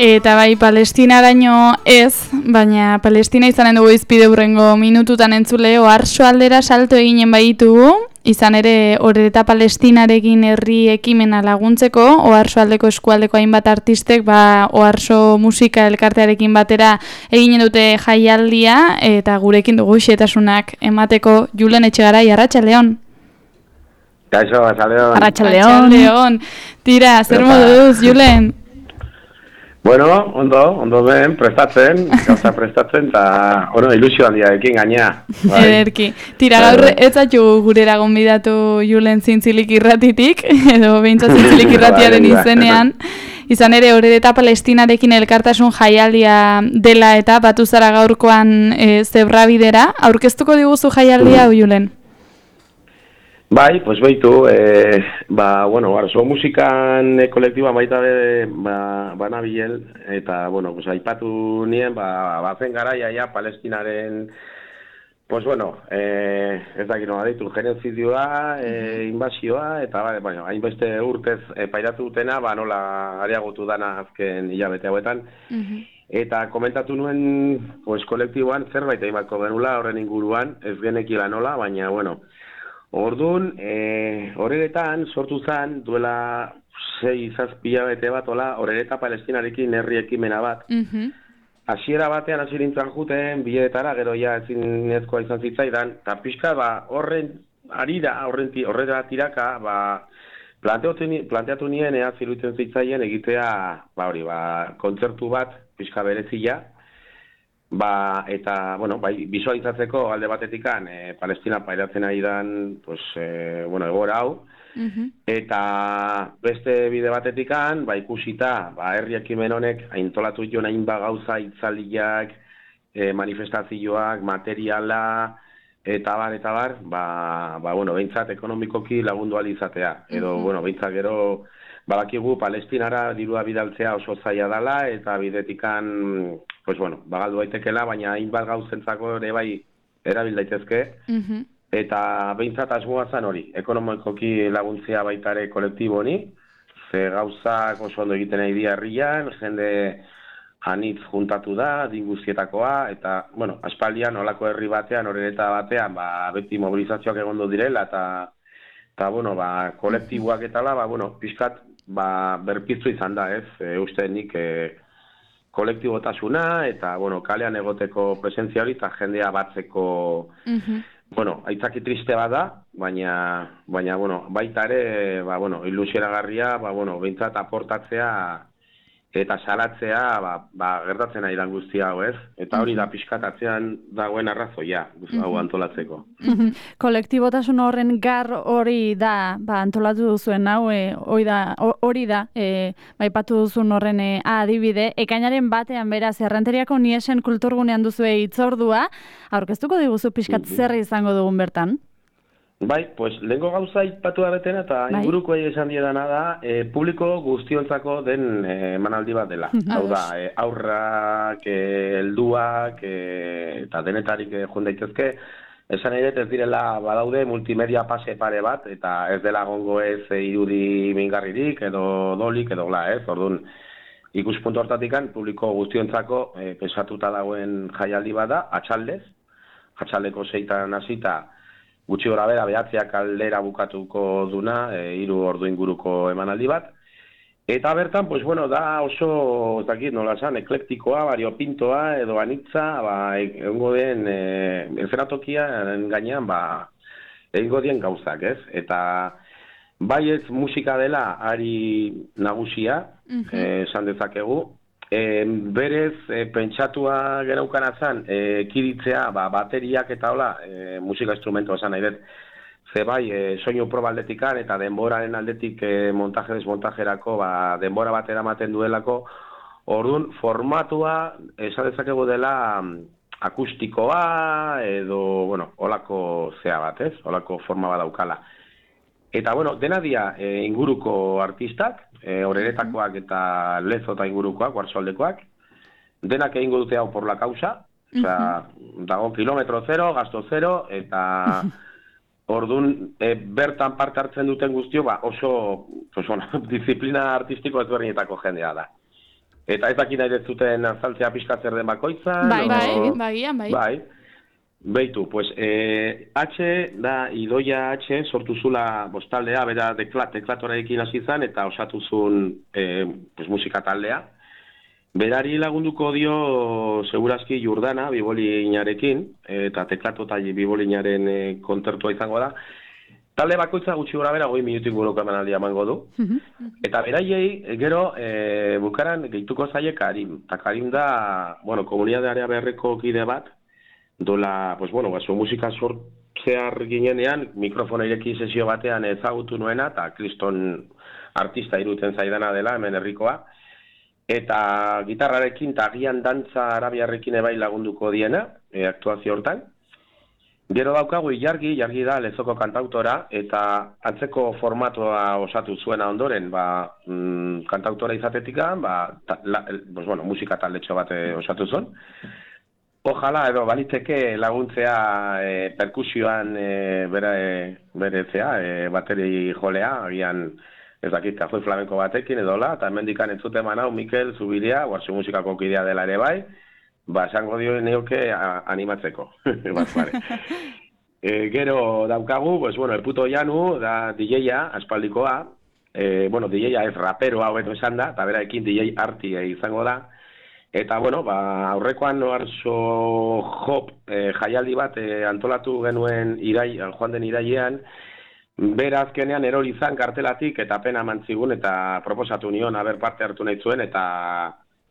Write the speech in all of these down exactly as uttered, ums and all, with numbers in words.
Eta bai, Palestinaraino ez, baina Palestina izanen dugu izpide hurrengo minututan entzule, oharso aldera salto eginen baitugu, izan ere Orereta Palestinarekin herri ekimena laguntzeko, oharso aldeko eskualdeko hainbat artistek, ba, oharso musika elkartearekin batera eginen dute jaialdia, eta gurekin dugu xetasunak emateko. Julen Etxegarai, arratsaldeon. Kaixo, arratsaldeon. Arratsaldeon. Tira, zer moduz, Julen? Bueno, ondo, ondo ben, prestatzen, gauza prestatzen, eta, bueno, ilusio handiarekin gainea. Bai. Ederki. Tira, gaur ez zaitu gurera gonbidatu Julen Zintzilik irratitik, edo behintzat Zintzilik irratiaren izenean. Izan ere, Orereta Palestinarekin elkartasun jaialdia dela eta batu zara gaurkoan e, zebrabidera. Aurkeztuko diguzu jaialdia, mm. Julen? Bai, pues beitu, eh, ba, bueno, oharso musikan e, kolektiba baita be, ba, banabiel, eta, bueno, pues aipatu nien, ba, bazen garaia ja Palestinaren, pues bueno, eh, ez dakit nola ditu, genozidioa, eh, invasioa, eta, ba, bueno, hainbeste urtez e, pairatu dutena, ba, nola areagotu dana azken hilabete hauetan, uh-huh. Eta komentatu nuen, pues, kolektiboan zerbait eimako genula horren inguruan, ez genekila nola, baina, bueno, Orduan, e, Oreretan sortu zen, duela sei zazpila bete bat, ola, Orereta Palestinarekin herri ekimena bat. Hasiera uh-huh. batean hasi nintzen juten, biletara, gero ja ezinezkoa izan zitzaidan, eta pixka, ba, horren arira, horren horrela tiraka, ba, planteatu, planteatu nien, ea zirutzen zitzaien egitea, ba, hori, ba, kontzertu bat, pixka berezia, Ba, eta, bueno, bai, visualizatzeko alde batetikan, e, Palestina pairatzen ari dan, pues, e, bueno, egora hau, uh-huh. eta beste bide batetikan, ba, ikusita, ba, herri ekimen honek, aintolatu joan hainba gauza, itzaliak, e, manifestazioak, materiala, eta bar, eta bar, ba, ba bueno, behintzat ekonomikoki lagundu alizatea, edo, uh-huh. bueno, behintzat gero, badakigu Palestinara dirua bidaltzea oso zaila dela, eta bidetikan, pues bueno, bagaldu daitekela, baina hainbat gauzentzako ere bai erabil daitezke, uh-huh. eta behintzat asmoa zan hori, ekonomikoki laguntzea baitare kolektibo honi, ze gauzak oso ondo egiten nahi dira herrian, jende anitz juntatu da, dinguzietakoa, eta, bueno, aspaldian olako herri batean, Orereta batean, ba, beti mobilizazioak egondu direla, eta, eta bueno, ba, kolektiboak eta la, ba, bueno, pixkat, ba, berpiztu izan da, ez, e, uste nik, e, kolektibotasuna, eta, bueno, kalean egoteko presentzia hori, eta jendea batzeko, uh-huh. bueno, aitzaki triste bada, baina, baina, bueno, baita ere, ba, bueno, ilusionagarria, ba, bueno, behintzat aportatzea, eta salatzea, ba, ba, gertatzen ari dan guztia hau, ez? Eta hori da pixkatatzean dagoen arrazoia, hau antolatzeko. Kolektibotasun horren gar hori da, ba, antolatu duzuen hau, e, hori da, hori da, e, baipatu duzun horren e, adibide. Ekainaren batean beraz, Errenteriako Niesen kulturgunean duzue hitzordua, aurkeztuko diguzu pixkat zer izango dugun bertan? Bai, pues, lehenko gauza ipatu da betena, eta bai? Inguruko esan diedana da, e, publiko guztiontzako den emanaldi bat dela. Hau da, e, aurrak, e, helduak, e, eta denetarik e, joan daitezke, esan ere ez direla badaude multimedia pase pare bat, eta ez dela gongo ez e, irudi mingarririk, edo dolik, edo gla, ez, orduan, ikuspuntu hortatikan, publiko guztiontzako e, pensatuta dagoen jaialdi bada, atxaldez, atxaldeko zeitan hasita, gutxi gora bera, behatzeak aldera bukatuko duna, e, hiru ordu inguruko emanaldi bat. Eta bertan, pues bueno, da oso, ez dakit, nola esan, eklektikoa, variopintoa, edo anitza, ba, egongo den, e, enferatokia gainean, ba, egingo dien gauzak, ez? Eta bai ez musika dela ari nagusia, uh-huh. e, esan dezakegu, E, berez, e, pentsatua genaukan atzan, e, kiditzea, ba, bateriak eta hola, e, musika instrumentua esan nahi dut, ze bai, e, soinu proba aldetikan eta denboraren aldetik e, montaje desmontajerako, ba, denbora bat eramaten duelako, orduan formatua esan dezakegu dela akustikoa edo, bueno, holako zea bat, ez? Holako forma bat daukala. Eta, bueno, dena dia e, inguruko artistak, e, Oreretakoak eta Lezo eta ingurukoak, Oarsoaldekoak, denak egingo dute hau por la causa, osea, uh-huh. dago kilometro zero, gasto zero, eta orduan e, bertan parte hartzen duten guztio, ba, oso, oso disiplina artistiko ezberdinetako jendea da. Eta ez dakit nahi zuten azaltzea pixkatzer den bakoitzan. Bai, o... bai, bagian, bai. Bai. Beitu, pues, eh, H da Idoia H sortu zula bostaldea, bera teklat, teklatorekin hasi zan eta osatu zuen eh, pues, musika taldea. Berari lagunduko dio segurazki Jordana bibolinarekin, eta teklato eta bibolinaren e, kontzertua izango da. Talde bakoitza gutxi gora bera, goi minutik buroko emanaldia emango du. Eta beraiei, gero, e, bukaran gehituko zaie Karim. Eta Karim da, bueno, komunitatea beharreko kide bat, dola, pues bueno, baso musika sortzear ginenean, mikrofona ireki sesio batean ezagutu nuena, eta kriston artista irutzen zaidana dela, hemen herrikoa. Eta gitarrarekin eta agian dantza arabiarrekin ebai lagunduko diena, e, aktuazio hortan. Gero daukagu Ilargi, Ilargi da Lezoko kantautora, eta antzeko formatua osatu zuena ondoren, ba, mm, kantautora izatetikan, ba, ta, la, pues, bueno, musika taldetxo bat osatu zuen. Ojala, edo baliteke laguntzea e, perkusioan e, bere, bere zea, e, bateri jolea, agian ez dakit, kajoi flamenko batekin edola, eta hemendikan entzuten manau Mikel Zubiria, guartzu musikako kidea dela ere bai, ba, esango dio neoke animatzeko. e, gero daukagu, pues, bueno, el puto Janu, da D J-a, aspaldikoa, e, bueno, D J-a ez raperoa hobeto esan da, eta beraekin D J arti e, izango da, eta, bueno, ba, aurrekoan Oarso Hop e, jaialdi bat e, antolatu genuen irai, joan den irailean, bera azkenean erori izan kartelatik eta pena mantzigun eta proposatu nion haber parte hartu nahi zuen eta,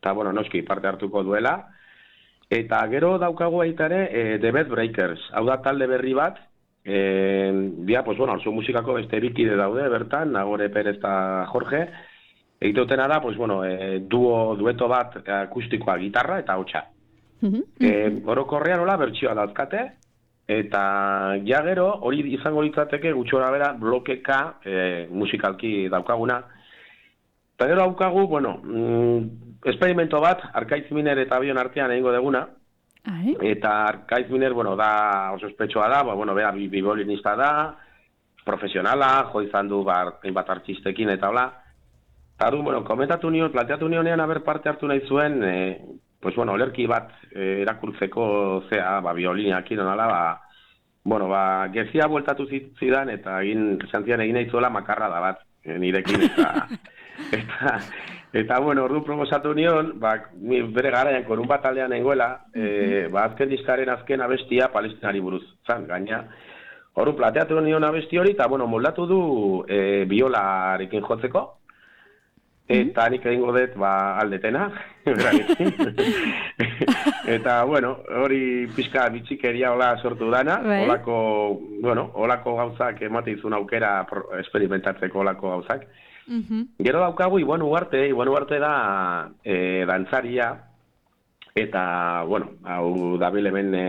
eta bueno, noski parte hartuko duela. Eta gero daukagu aitare e, The Bed Breakers, hau da talde berri bat, e, dia, pues bueno, Oarso musikako beste bikide daude bertan, Nagore Perez eta Jorge, egiteutena da, pues bueno, e, duo, dueto bat akustikoa gitarra eta hotxa. e, orokorrean hola bertsioa dauzkate, eta ja gero hori izango litzateke gutxora bera blokeka e, musikalki daukaguna. Eta gero daukagu, bueno, mm, experimento bat, Arkaitz Miner eta Bion artean egingo deguna. Ai. Eta Arkaitz Miner, bueno, da oso ospetsua da, ba, bueno, bera bibolinista da, profesionala, jo izan du bar, bat artistekin eta hola. Eta du, bueno, komentatu nion, planteatu nionean haber parte hartu nahi zuen, e, pues bueno, olerki bat e, erakurtzeko zea, ba, biolinakin onala, ba, bueno, ba, gezia bueltatu zidan eta egin, santzian egin nahi zuela makarra da bat, e, nirekin, eta, eta, eta, bueno, ordu proposatu nion, ba, bere garaian korun bat aldean nengoela, e, ba, azken diskaren azken abestia palestinari buruz, zan, gaina, ordu plateatu nion abesti hori, eta, bueno, moldatu du e, biolarekin jotzeko, eta nik egingo dut ba, aldetena, eta, bueno, hori pixka bitxikeria hola sortu dana, holako, bueno, holako gauzak emate izun aukera experimentatzeko holako gauzak. Uh-huh. Gero daukagu, Iban Ugarte, Iban Ugarte da e, dantzaria, eta, bueno, hau dabil hemen e,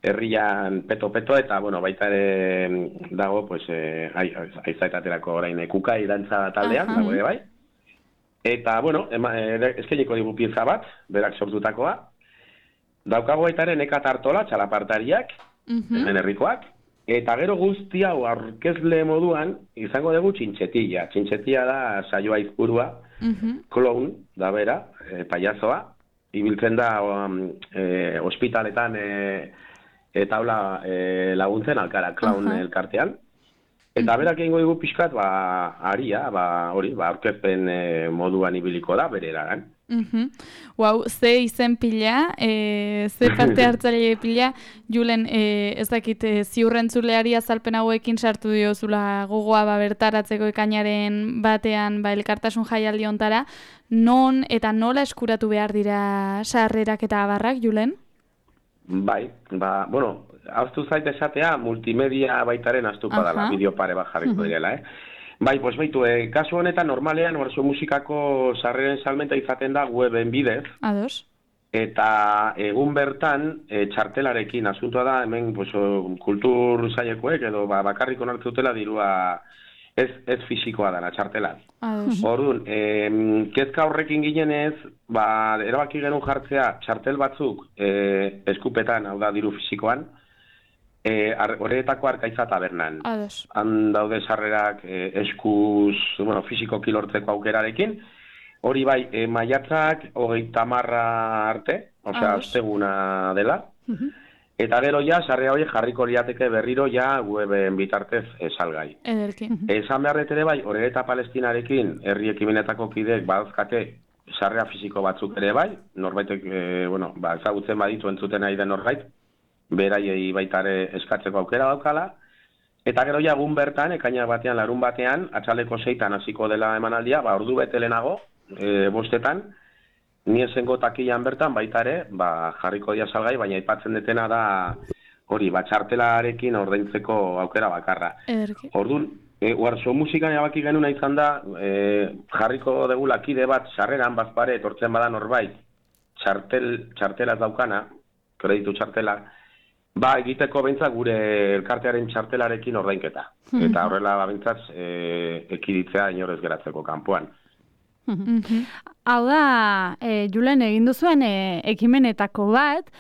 herrian peto-peto, eta, bueno, baita ere dago, pues, e, aizaetaterako orain kukai dantza taldean, uh-huh. dago ere bai. Eta, bueno, eskeniko digu pieza bat, berak sortutakoa. Daukago aitaren Nekat Artola, txalapartariak, uh-huh. hemen herrikoak. Eta gero guzti hau aurkezle moduan, izango dugu txintxetilla. Txintxetilla da saioa izburua, uh-huh. clown, da bera, e, payasoa. Ibiltzen da um, e, ospitaletan e, eta hola e, laguntzen alkara, clown uh-huh. elkartean. Eta berak egingo dugu pixkat, ba, aria, ba, hori, ba, aurkezpen e, moduan ibiliko da, bere eragan. Uh-huh. Wow, ze izen pila, e, ze parte hartzaile pila, Julen, e, ez dakit, e, ziurrentzuleari azalpen hauekin sartu diozula gogoa ba, bertaratzeko ekainaren batean ba, elkartasun jaialdi hontara, non eta nola eskuratu behar dira sarrerak eta abarrak, Julen? Bai, ba, bueno, haztu zait esatea, multimedia baitaren astuko dela, bideo pare bat jarriko uh-huh. direla, eh? Bai, pues baitu, eh, kasu honetan normalean Oarso musikako sarreren salmenta izaten da weben bidez. Ados. Eta egun bertan, e, txartelarekin asuntua da, hemen pues, kultur zailekoek edo ba, bakarrik onartzutela dirua ez, ez fisikoa dana, txartela. Orduan, e, kezka horrekin ginenez, ba, erabaki genuen jartzea txartel batzuk e, eskupetan, hau da diru fisikoan, horretako e, Arkaitza tabernan. Han daude sarrerak e, eskuz, bueno, fisiko kilortzeko aukerarekin. hori bai, e, maiatzak hogeita hamarra arte, osea, asteguna dela. Uh-huh. Eta gero ja, sarrera hori jarriko liateke berriro ja weben bitartez e, salgai. Ederki. Esan beharret ere bai, Orereta Palestinarekin herri ekimenetako kideek badazkate sarrera fisiko batzuk ere bai, norbaitek, e, bueno, ba, ezagutzen baditu entzuten nahi den norbait, beraiei baitare eskatzeko aukera daukala, eta gero ja egun bertan, ekaina batean, larun batean, atxaleko seitan hasiko dela emanaldia, ba, ordu bete lehenago, e, bostetan, ni esengo takilan bertan baitare, ba, jarriko dia salgai, baina aipatzen detena da, hori, ba, txartelarekin ordaintzeko aukera bakarra. Ederki. Orduan, e, Warso musikan erabaki genuna izan da, e, jarriko degula kide bat, sarreran bazpare, etortzen bada norbait, txartel, txartela daukana, kreditu txartela, ba, egiteko behintzat gure elkartearen txartelarekin ordainketa. Eta horrela behintzat e, ekiditzea inorez geratzeko kanpoan. Hau da, e, Julen egin duzuen e, ekimenetako bat,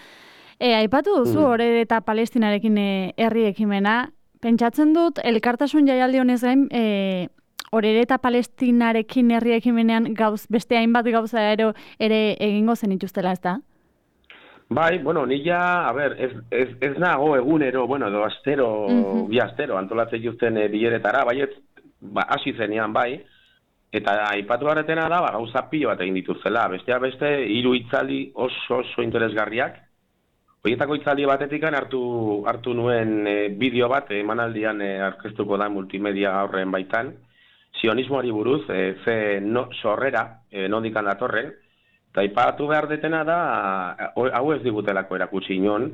e, aipatu duzu mm. Orereta Palestinarekin e, herri ekimena, pentsatzen dut, elkartasun jaialdi honez gain, e, Orereta Palestinarekin herri ekimenean gauz, beste hainbat gauza ere, ere egingo zenituztela, ez da? Bai, bueno, ni ja, a ber, ez, ez, ez nago egunero, bueno, edo astero, mm-hmm. bi astero, antolatzen justen e, bileretara, bai, ez, ba, hasi zenean, bai, eta aipatu barretena da, ba, gauza pilo bat egin dituzela, bestea beste, hiru hitzaldi oso oso interesgarriak, horietako hitzaldi batetik hartu, hartu nuen e, bideo bat, emanaldian e, aurkeztuko da multimedia horren baitan, sionismoari buruz, e, ze no, sorrera, e, nondikan datorren, eta aipatu behar detena da, hau ez digutelako erakutsi inon,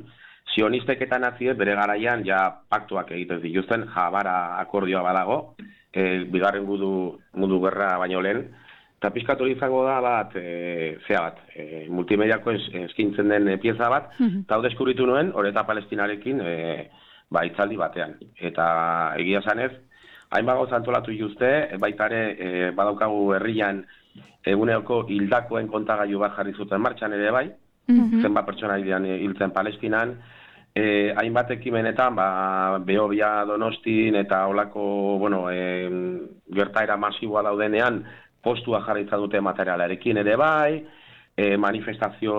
sionistek eta naziek bere garaian ja paktuak egiten dituzten, jabara akordioa badago, e, bigarren gudu, mundu gerra baino lehen, eta pizkatu izango da bat, e, zea bat, e, multimediako es, eskintzen den e, pieza bat, eta hau deskubritu nuen, Orereta Palestinarekin, e, ba, itzaldi batean. Eta egia zanez, hainbat gauza antolatu juzte, baitare e, badaukagu herrian, eguneoko hildakoen kontagailu bat jarri zuten martxan ere bai, mm-hmm. zenbat pertsona hiltzen Palestinan, e, hainbat ekimenetan, ba, Behobia, Donostin eta olako, bueno, e, gertaera masiboa daudenean, postua jarritza dute materialarekin ere bai, e, manifestazio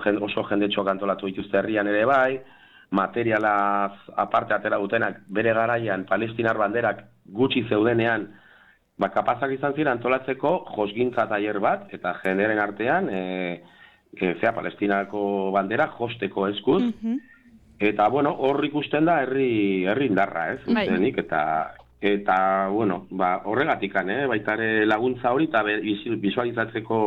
jen, oso jendetxoak antolatu dituzte herrian ere bai, materialaz aparte atera dutenak bere garaian palestinar banderak gutxi zeudenean, ba, kapazak izan ziren antolatzeko josgintza tailer bat, eta jeneren artean, e, e, zea, Palestinako bandera josteko eskuz, mm-hmm. eta, bueno, hor ikusten da herri, herri indarra, ez, ustenik, eta, eta, bueno, ba, horregatikan, eh, baitare laguntza hori, eta visualizatzeko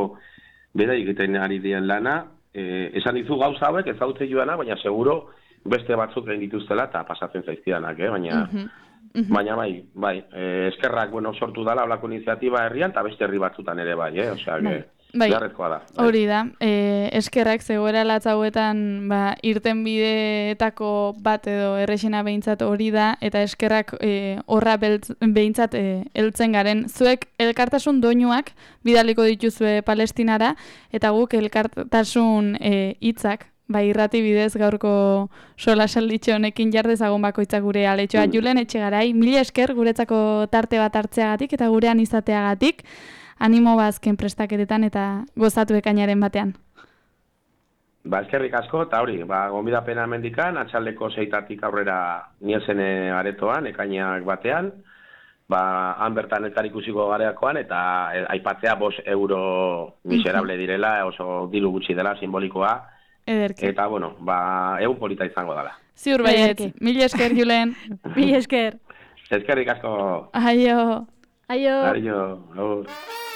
bera egiten ari dien lana, e, esan dizu gauza hauek, ezautzen joana, baina seguro beste batzuk egin dituztela, eta pasatzen zaizkidanak, eh, baina... Mm-hmm. Mm-hmm. Baina bai, bai, eh, eskerrak, bueno, sortu dala olako iniziatiba herrian, eta beste herri batzutan ere bai, eh? Osea, bai. Bai. Beharrezkoa da. Bai. Hori da, eh, eskerrak zegoera latzauetan, ba, irten bideetako bat edo errexena behintzat hori da, eta eskerrak eh, horra beltz, behintzat eh, heltzen garen. Zuek elkartasun doinuak bidaliko dituzue Palestinara, eta guk elkartasun hitzak, eh, bai, irrati bidez gaurko sola salditxo honekin jardezagon bakoitzak gure aletxoa. Mm. Julen Etxegarai, mila esker guretzako tarte bat hartzeagatik eta gurean izateagatik, animo bazken prestaketetan eta gozatu ekainaren batean. Ba, eskerrik asko, eta hori, ba, gonbidapena mendikan, atxaldeko seitatik aurrera niesen aretoan, ekainak batean, ba, han bertan elkar ikusiko gareakoan, eta e, aipatzea bos euro miserable direla, oso diru gutxi dela, simbolikoa, Ederki. Eta, bueno, ba, egun polita izango dela. Ziur baiet, mila esker, Julen. Mila esker. Eskerrik asko. Aio. Aio. Aio. Aio.